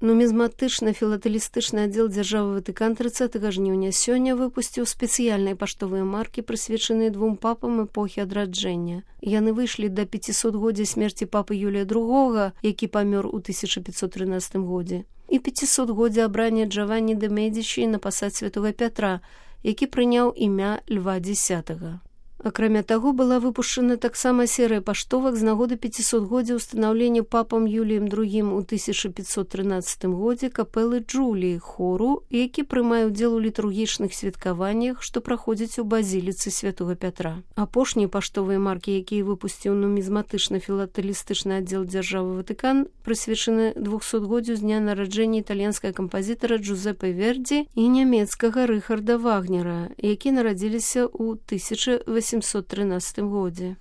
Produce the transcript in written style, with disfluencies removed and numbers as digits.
Нумізматычна-філатэлістычны аддзел дзяржавы Ватыкан 30 жніўня сёння выпусціў спецыяльныя паштовыя маркі, прысвечаныя двум папам эпохі адраджэння. Яны выйшлі да 500-годдзя смерці папы Юлія II, які памёр у 1513 годзе, і 500-годдзя абрання Джаванні де Медичі на пасад святого Пятра, які прыняў імя Льва X. Акрамя таго, была выпушчана таксама серыя паштовак з нагоды 500-годдзя ўстанаўлення папам Юліем II у 1513 годзе капэлы Джуліі хору, які прымае ўдзел у літургічных святкаваннях, што праходзяць у базіліцы святого Пятра. Апошнія паштовыя маркі, якія выпусціў нумізматычна-філатэлістычны аддзел дзяржавы Ватыкан, прысвечаны 200-годдзю з дня нараджэння італьянскага кампазітара Джузеппе Верді і нямецкага Рыхарда Вагнера, які нарадзіліся ў 1813 годзе.